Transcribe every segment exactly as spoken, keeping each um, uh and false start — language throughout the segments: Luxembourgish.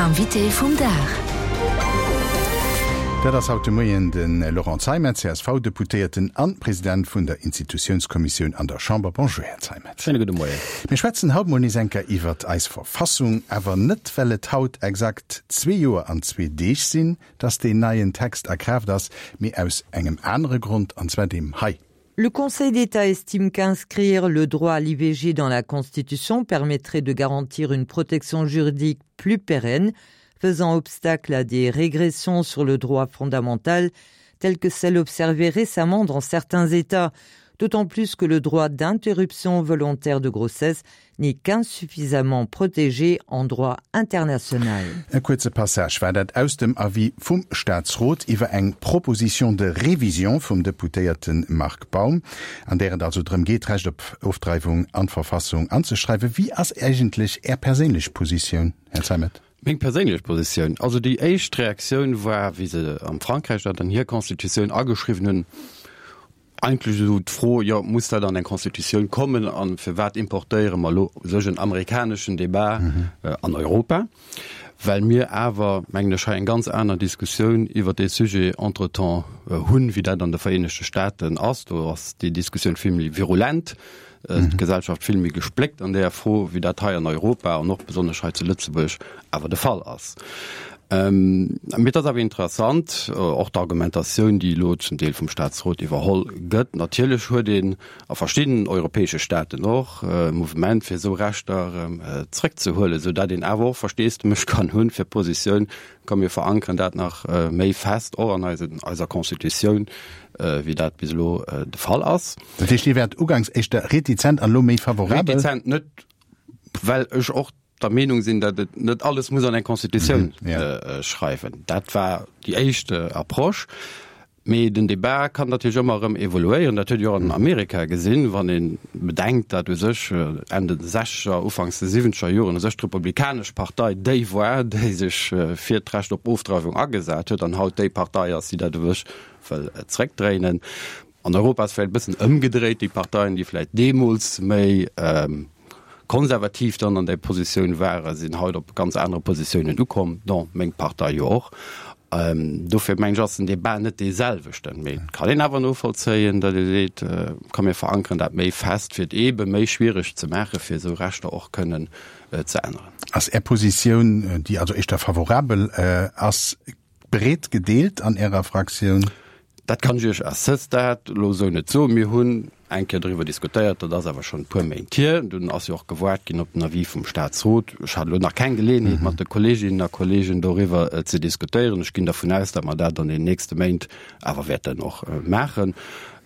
Invité vum Dag. Dat ass haut de Moien de Laurent Zeimet, C S V-Deputéierten an President vun der Institutiounskommissioun an der Chamber. Bonjour, Här Zeimet. Schéine gudde Moien. Mir schwätzen haut mol nees eng Kéier iwwert eis Verfassung, awer net well et haut exakt zwee Joer an zwee Deeg sinn, dass deen neien Text a Kraaft ass, mee aus engem anere Grond, an zwar deem hei. Le Conseil d'État estime qu'inscrire le droit à l'I V G dans la Constitution permettrait de garantir une protection juridique plus pérenne, faisant obstacle à des régressions sur le droit fondamental telles que celles observées récemment dans certains États, d'autant plus que le droit d'interruption volontaire de grossesse n'est qu'insuffisamment protégé en droit international. E kuerze Passage war dat aus dem Avis vum Staatsrot iwwer eng Proposition de révision vum Deputéierte Marc Baum, an där et also drëm geet, d'Recht op Ofdreiwung an d'Verfassung anzeschreiwen. Wéi ass eigentlech Är perséinlech Positioun, Här Zeimet? Meng perséinlech Positioun, also déi éischt Reaktioun war, wéi se am Frankräich dat an hir Constitutioun ageschriwwen hunn, eigentlech esou d'Fro, jo, muss dat an eng Constitutioun kommen a firwat importéiere mer elo u sech en amerikaneschen Debat an Europa? Well mir awer, mengen ech, hei eng ganz aner Diskussioun iwwert dee Sujet entretemps hunn, wéi dat an de Vereenegte Staaten ass. Do ass déi Diskussioun vill méi virulent, d'Gesellschaft vill méi gespléckt an där Fro, wéi dat hei an Europa an och besonnesch hei zu Lëtzebuerg awer de Fall ass. Mee et ass awer interessant, och d'Argumentatioun, déi elo zum Deel vum Staatsrot iwwerholl gëtt. Natierlech huet een a verschiddenen europäesche Staaten och e Mouvement, fir esou Rechter erëm zrëckzehuelen, esou dat een awer och Versteesdemech kann hunn fir d'Positioun, komm mir verankeren dat nach méi fest och an eiser Constitutioun, wéi dat bis elo de Fall ass. Dat heescht, Dir wäert uganks éischter retizent an elo méi favorabel? Retizent net, well ech och der Meenung sinn, datt et net alles muss an eng Constitutioun schreiwen. Dat war déi éischt Approche. Mee den Debat kann natierlech ëmmer erëm evoluéieren. Dat huet ee jo och an Amerika gesinn, wann ee bedenkt, datt u sech Enn de sechzeger, ufanks de siwwenzeger Joren u sech d'Republikanesch Partei déi war, déi sech fir d'Recht op Ofdreiwung agesat huet, an haut déi Partei ass, déi dat u sech wëll zréckdréinen. An Europa ass vläicht e bëssen ëmgedréit, déi Parteien, déi vläicht deemools méi konservativ dann an där Positioun waren, sinn haut op ganz anere Positiounen ukomm, dont meng Partei jo och. Dofir mengen ech, ass den Debat net dee selwechten. Mee et kann een awer novollzéien, datt ee seet, komm mir verankeren dat méi fest, fir et eebe méi schwiereg ze maachen, fir esou Rechter och kënnen ze änneren. Ass Är Positioun, déi also éischter favorabel ass, breet gedeelt an Ärer Fraktioun? Dat kann ech Iech à ce stade elo esou net soen. Mir hunn eng Kéier doriwwer diskutéiert, dat ass awer schonn e puer Méint hier. Dunn ass jo och gewaart ginn op den Avis vum Statsrot. Ech hat elo nach keng Geleeënheet, mat de Kolleeginnen a Kolleegen doriwwer ze diskutéieren. Ech ginn dervun aus, datt mer dat an den nächste Méint awer wäerten och maachen.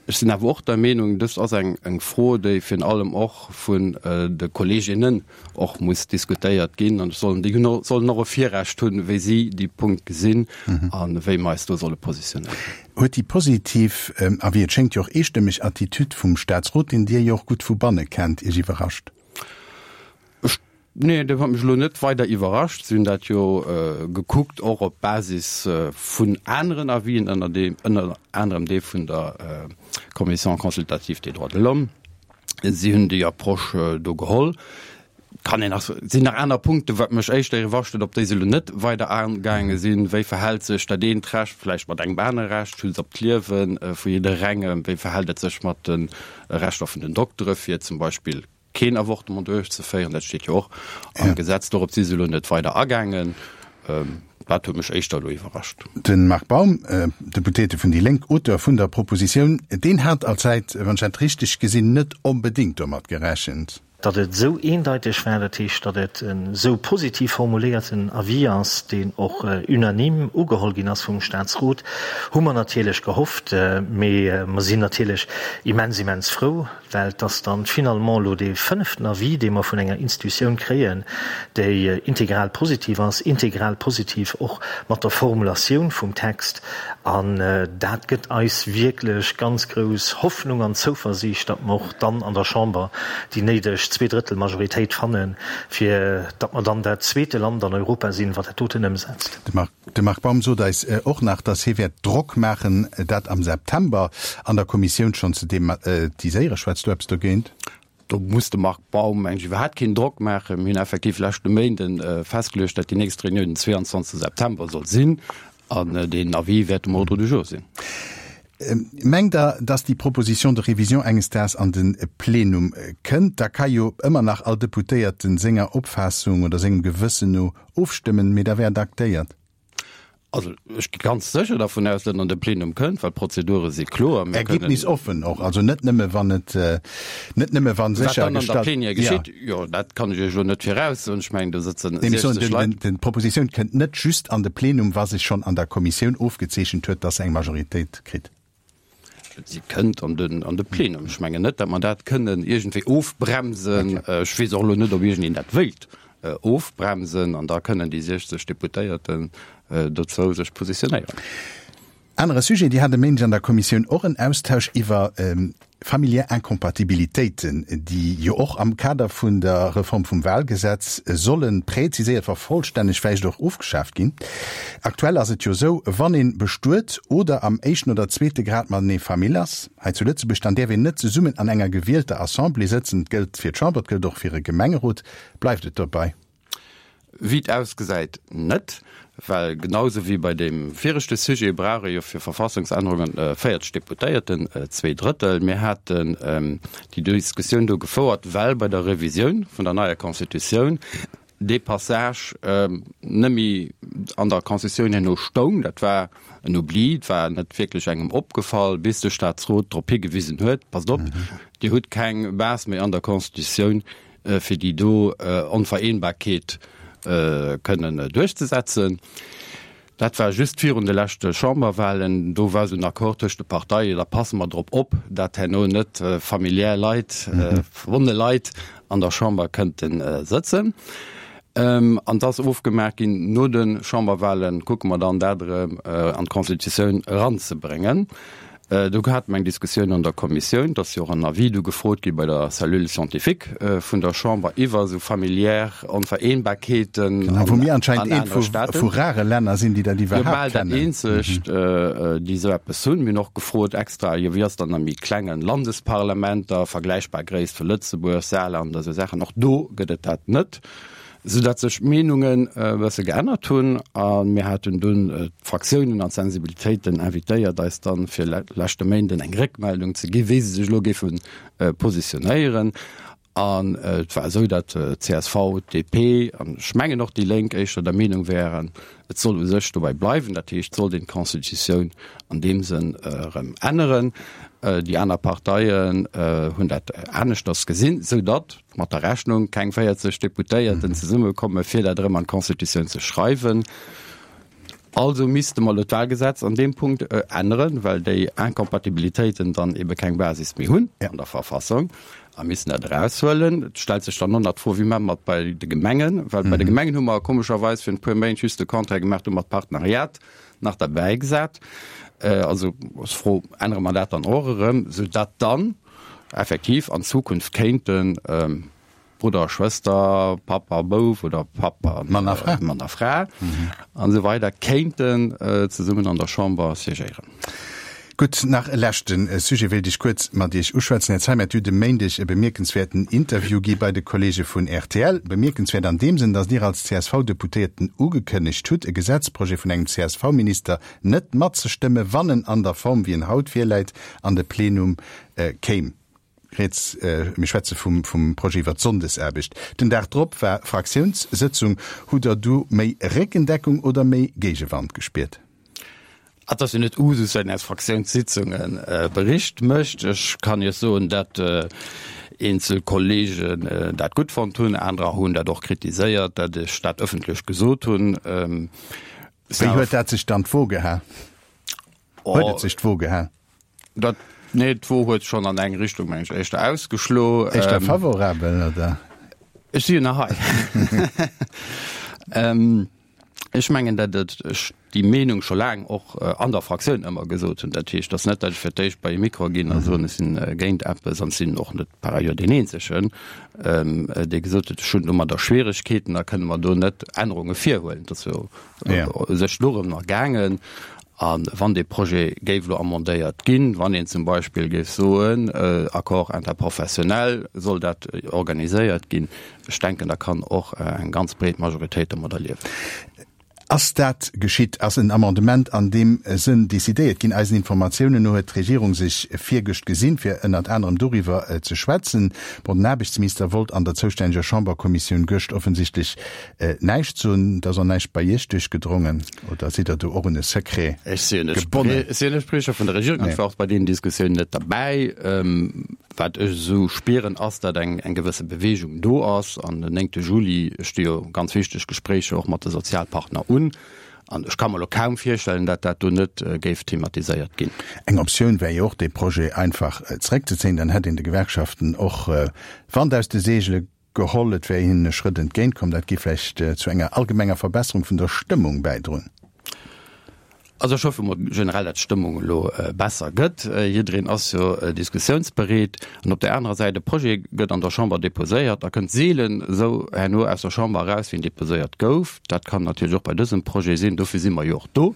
Ech sinn awer och der Meenung, dëst ass eng eng Fro, déi virun allem och vun de Kolleeginnen och muss diskutéiert ginn, an sollen déi hunn sollen och e Virrecht hunn, wéi si déi Punkt gesinn a wéi mer eis do solle positionéieren. Huet déi positiv, a wéi et schéngt jo och eestëmmeg Attitüd vum Staatsrot, deen Dir jo och gutt vu banne kennt, Iech iwwerrascht? Ech, nee, dat huet mech elo net weider iwwerrascht. Si hunn dat jo gekuckt och op Basis vun aneren Avisen, ënner deem, ënner anerem dee vun der Commission consultative des droits de l'homme. Si hunn déi Approche do geholl. Kann een nach, sinn nach aner Punkte, wat mech éischter iwwerrascht huet, op déi se elo net weider agaange sinn. Wéi verhält sech dat eent Recht vläicht mat engem anere Recht, Schutz op d'Liewe vu jidderengem? Wéi verhält et sech mat de Rechter vun den Doktere fir zum Beispill keen Avortement duerchzeféieren? Dat steet jo och am Gesetz. Dorop si se elo net weider agaangen. Dat huet mech éischter elo iwwerrascht. De Marc Baum, Deputéierte vun déi Lénk, Auteur vun der Propositioun, deen hat allzäit, wann ech dat richteg gesinn, net onbedéngt domat gerechent. Datt et esou eendeiteg war, dat heescht, datt et en esou positiv formuléierten Avis ass, deen och unanime ugeholl ginn ass vum Statsrot, hu mer natierlech gehofft. Mee mer sinn natierlech immens, immens frou, well et ass dann finalement elo dee fënneften Avis, dee mer vun enger Institutioun kréien, déi integral positiv ass, integral positiv och mat der Formulatioun vum Text. An dat gëtt eis wierklech ganz grouss Hoffnung an Zouversiicht, datt mer och dann an der Chamber déi néideg Zweedrëttelmajoritéit fannen, fir datt mer dann dat zweete Land an Europa sinn, wat dat doten ëmsetzt. De Marc Baum sot eis och nach, datt hie wäert Drock maachen, dat am September an der Kommissioun schonn ze thematiséieren. Schwätzt do eppes dogéint? Do muss de Marc Baum mengen ech iwwerhaapt keen Drock maachen. Mir hunn effektiv leschte Méinden festgeluecht, datt déi nächst Reunioun den zweeanzwanzegste September soll sinn an deen Avis wäert um Ordre du jour sinn. Mengt Der, datt déi Proposition de révision enges Daags an de Plenum kënnt? Da ka jo ëmmer nach all Deputéierten senger Opfaassung oder sengem Gewëssen no ofstëmmen, mee da wär et aktéiert. Also ech gi ganz sécher dervun aus, datt en an de Plenum kënnt, well d'Prozedure si kloer. Mir kënnen. Ergebnisoffen och, also net nëmme wann et, net nëmme wa Wat dann an der séchergestallt, Plenière ja. geschitt, jo, dat kann ech Iech elo net viraussoen. Ech mengen, do sëtzen Nee, mee ech soen, siechzeg den, Leit. den, d'Propositioun kënnt net just an de Plenum, wa sech schonn an der Kommissioun ofgezeechent huet, datt se eng Majoritéit kritt. Si kënnt an den, an de Plenum. Ech mengen net, datt mer dat kënnen iergendwéi ofbremsen. Ech weess och elo net, ob iergendeen dat wéilt ofbremsen, an da kënnen déi siechzeg Deputéierten dozou sech positionéieren. Anere Sujet, Dir hat e Méindeg an der Kommissioun och en Austausch iwwer familiär Incompatibilitéiten, déi jo och am Kader vun der Reform vum Wahlgesetz solle präziséiert, vervollstännegt, vläicht och ofgeschaaft ginn. Aktuell ass et jo esou, wann ee bestuet oder am éischten oder zweete Grad matenee Famill ass, hei zu Lëtzebuerg, dann däerf een net zesummen an enger gewielter Assemblée sëtzen. Et gëllt fir d'Chamber, et gëllt och fir e Gemengerot. Bleift et dobei? Wéi et ausgesäit, net, well genau esou wéi bei deem viregte Sujet brauch ee jo fir Verfassungsännerungen véierzeg Deputéierten, zwee Drëttel. Mir haten déi Diskussioun do gefouert, well bei der Revisioun vun der neier Constitutioun dee Passage net méi an der Constitutioun herno stoung. Dat war en Oubli, et war net wierklech engem opgefall, bis de Staatsrot drop higewisen huet, Passt op, Dir hutt keng Base méi an der Constitutioun, fir déi do Onvereenbarkeet kënnen duerchzesetzen. Dat war just virun de leschte Chamberwahlen. Do war esou en Accord tëscht de Parteien, da passe mer drop op, dat herno net familiär Leit, verbonne Leit an der Chamber kënnte sëtzen. An et ass ofgemaach ginn, no de Chamberwahle kucke mer dann, dat erëm an d'Constitutioun eranzebréngen. Do hate mer eng Diskussioun an der Kommissioun, et ass jo och en Avis du gefrot gi bei der Cellule scientifique vun der Chamber iwwer esou familiär Onvereenbarkeeten Genau, wou mir an anscheinend eent anere vu Staaten. vu rare Länner sinn, déi dat Jo, iwwerhaapt bal dat kennen. eenzegt, déi esou eppes hunn. Mir hunn och gefrot extra, jo wéi ass et dann a méi klenge Landesparlamenter, vergläichbar Gréisst vu Lëtzebuerg, Saarland a sou Saachen, och do gëtt et dat net. Sou datt sech d'Meenungen e bësse geännert hunn a mir haten dunn d'Fraktiounen an d'Sensibilitéiten invitéiert, eis dann fir leschte Méinden eng Réckmeldung ze gi wéi se sech elo géife positionéieren. An et war esou, datt csv, D P an ech mengen och déi Lénk éischter der Meenung wären, et soll u sech dobäi bleiwen, dat heescht, et sollt een d'Constitutioun an deem Sënn erëm änneren. Déi aner Parteien hunn dat aneschters gesinn, sou datt mat der Rechnung keng véierzeg Deputéierten zesummekomme fir dat erëm an d'Constitutioun ze schreiwen. Also misste mer elo d'Wahlgesetz an deem Punkt änneren, well déi Incompatibilitéiten dann ebe keng Basis méi hunn an der Verfassung a missen dat eraushuelen. Et stellt sech dann och nach d'Fro, wéi maache mer et bei de Gemengen, well bei de Gemengen hu mer komescherweis virun e puer Méint just de Contraire gemaach, do hu mer d'Partenariat nach derbäi gesat. Also ass d'Fro, ännere mer dat dann och erëm, soudatt dann effektiv an Zukunft kéinte Brudder a Schwëster, Papp a Bouf oder Papp a Mann a Fra, Mann a Fra an esou weider kéinten zesummen an der Chamber siégéieren. Gutt, nach e leschte Sujet wéilt ech kuerz mat Iech uschwätzen. Här Zeimet, Dir hutt e Méindeg e bemierkenswäerten Interview gi bei de Kollege vun R T L. Bemierkenswäert an deem Sënn, datt Dir als C S V-Deputéierten ugekënnegt hutt, e Gesetzprojet vun engem C S V-Minister net matzestëmme, wann en an der Form, wéi en haut virläit, an de Plenum kéim. Rieds, mir schwätze vum vum Projet iwwer d'Sonndesaarbecht. Den Dag drop war Fraktiounssëtzung. Hutt Der du méi Réckendeckung oder méi Géigewand gespiert? Et ass jo net Usus, datt een aus Fraktiounssitzunge Bericht mécht. Ech kann Iech soen, datt eenzel Kollegen dat gutt fonnt hunn, anerer hunn dat och kritiséiert, datt ech dat ëffentlech gesot hunn. Wéi huet dat sech dann d'Wo geha? Huet et sech d'Wo geha? Dat, nee, d'Wo huet schonn an eng Richtung, meng ech, éischter ausgeschlo. Éischter favorabel, oder? Ech si jo nach hei. Ech mengen, datt et ech déi Meenung scho laang och an der Fraktioun ëmmer gesot hunn. Dat heescht, et ass net, datt ech fir d'éischt bei e Mikro ginn a soen, ech sinn géint eppes an ech sinn och net par ailleurs deen Eenzegen, dee gesot huet, ech hunn domadder Schwieregkeeten, da kënne mer do net Ännerunge virhuelen. Et ass jo u sech dorëm nach gaangen. A wann dee Projet géif elo amendéiert ginn, wann een zum Beispill géif soen, Accord interprofessionnel soll dat organiséiert ginn, ech denken, da kann och eng ganz breet Majoritéit domadder liewen. Ass dat geschitt? Ass en Amendement an deem Sënn decidéiert ginn? Eisen Informatiounen no huet d'Regierung sech virgëscht gesinn, fir ënnert anerem doriwwer ze schwätzen. Bon, den Aarbechtsminister wollt an der zoustänneger Chamberkommissioun gëscht offensichtlech näischt soen. Et ass och näischt bei Iech duerchgedrongen, oder sidd Der do och un e Secret gebonnen? Ech sinn net Spriecher vun der Regierung an ech war och bei deenen Diskussiounen net derbäi. Wat ech esou spieren, ass, datt eng eng gewësse Beweegung do ass. An den néngte Juli sti jo ganz wichteg Gespréicher och mat de Sozialpartner un. An ech ka mer elo kaum virstellen, datt dat do net géif thematiséiert ginn. Eng Optioun wär jo och, dee Projet einfach zeréckzezéien. Dann hätt een de Gewerkschaften och Wand aus de Seegele geholl. Et wär hinnen e Schrëtt entgéint komm. Dat géif vläicht zu enger allgemenger Verbesserung vun der Stëmmung bäidroen. Also ech hoffe mol generell, datt d'Stëmmung elo besser gëtt. Jiddereen ass jo diskussiounsbereet. An op där anerer Säit, e Projet gëtt an der Chamber deposéiert a kënnt seelen esou herno aus der Chamber eraus, wéi en deposéiert gouf. Dat kann natierlech och bei dësem Projet sinn. Dofir si mer jo och do.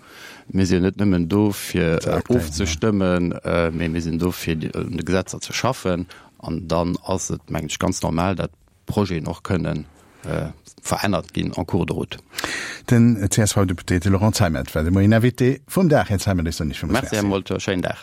Mir sinn jo net nëmmen do, fir ofzestëmmen, mee mir sinn do, fir un de Gesetzer ze schaffen. An dann ass et, mengen ech, ganz normal, datt Projeten och kënnen verännert ginn en cours de route. Den C S V-Deputéierte Laurent Zeimet war de Moien Invité vum Dag. Här Zeimet, ech soen Iech villmools Merci. Merci, Här Molter. Schéinen Dag.